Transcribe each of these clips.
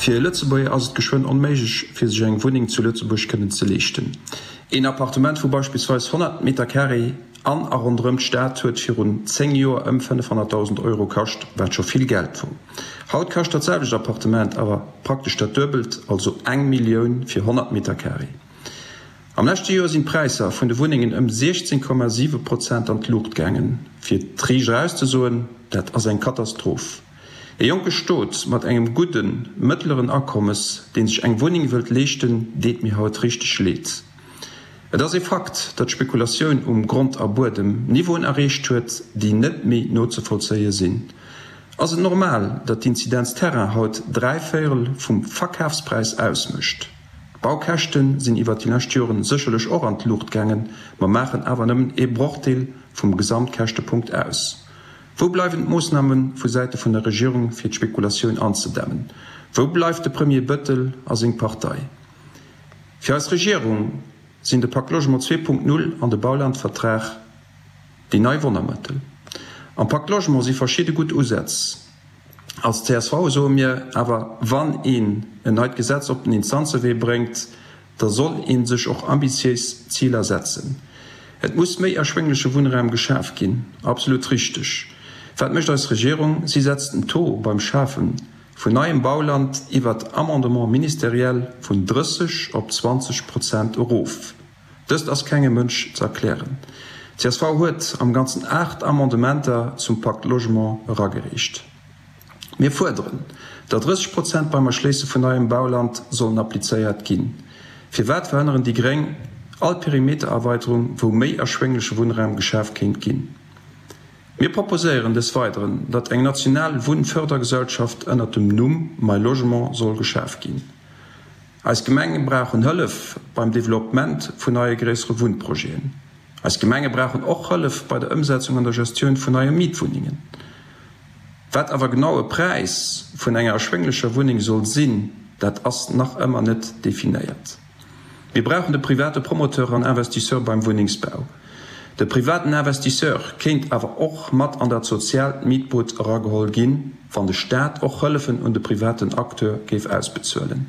Fir e Lëtzebuerger ass et geschwënn onméiglech fir sech eng Wunneng zu Lëtzebuerg kënnen ze leeschten. Een Appartement vu beispillsweis 100 Meter-Carré an a ronderëm d'Stad huet virun 10 Joer ëm 500.000 Euro kascht, wat scho vill Geld wor. Haut kascht dat selwecht Appartement awer praktesch dat Duebelt, also eng Millioun fir 100 Meter-Carré. Am leschte Joer sinn d'Präisser vun de Wunnengen ëm 16,7 Prozent an d'Luucht gaangen. Fir et riicht eraus ze soen, dat ass eng Katastroph. E jonke Stot mat engem gudden, mëttleren Akommes, dee sech eng Wunneng wëllt leeschten, deet mir haut richteg leed. Et ass ee Fakt, datt d'Spekulatioun um Grond a Buedem Niveauen erreecht huet, déi net méi nozevollzéie sinn. Ass et normal, datt d'Inzidenz Terrain haut dräivéierel vum Verkafspräis ausmécht? D'Baukäschte sinn iwwert déi lescht Joren sécherlech och an d'Luucht gaangen, ma maachen awer nëmmen ee Brochdeel vum Gesamtkäschtepunkt aus. Wou bleiwen d'Moossname vu Säite vun der Regierung fir d'Spekulatioun anzedämmen? Wou bleift de Premier Bëttel a seng Partei? Fir eis Regierung sinn de Pacte Logement 2.0 an de Baulandvertrag déi nei Wonnermëttel. Am Pacte Logement si verschidde gutt Usätz. Als csv soe mir awer, wann een en neit Gesetz op den Instanzewee bréngt, da soll ee sech och ambitiéis Ziler setzen. Et muss méi erschwéngleche Wunnraum geschaf ginn. Absolut richteg. Wat mécht eis Regierung? Si setzt den Taux beim Schafe vun neiem Bauland iwwert Amendement ministériel vun 30 op 20 Prozent erof. Dëst ass kengem Mënsch ze erklären. Csv huet am Ganzen 8 Amendementer zum Pacte Logement eragereecht. Mir fuerderen, datt 30 Prozent beim Erschléisse vun neiem Bauland sollen applizéiert ginn. Firwat verhënneren déi gréng all Perimetererweiterung, wou méi erschwéngleche Wunnraum geschaf kéint ginn? Mir proposéieren des Weideren, datt eng national Wunnfördergesellschaft ënnert dem Numm My Logement soll geschaf ginn. Eis Gemenge brauchen Hëllef beim Developpement vun neie gréissere Wunnprojeten. Eis Gemenge brauchen och Hëllef bei der Ëmsetzung an der Gestioun vun neie Mietwunnengen. Wat awer genau e Präis vun enger erschwénglecher Wunneng soll sinn, dat ass nach ëmmer net definéiert. Mir brauchen de private Promoteur an Investisseur beim Wunnengsbau. De privaten Investisseur kéint awer och mat an dat soziaalt Mietboot erageholl ginn, wann de Staat och Hëllefen un de privaten Acteur géif ausbezuelen.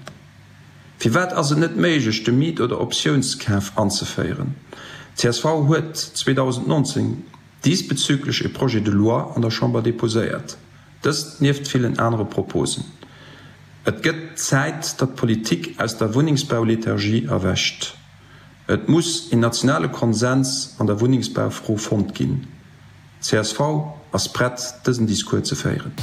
Firwat ass et net méiglech, de Miet oder Optiounskaf anzeféieren? Csv huet 2019 diesbezüglech e Projet de loi an der Chamber deposéiert. Dëst nieft villen anere Proposen. Et gëtt Zäit, datt d'Politik aus der Wunnengsbaulethargie erwächt. Et muss een nationale Konsens an der Wunnengsbaufro fonnt ginn. Csv ass prett, dësen Discours ze féieren.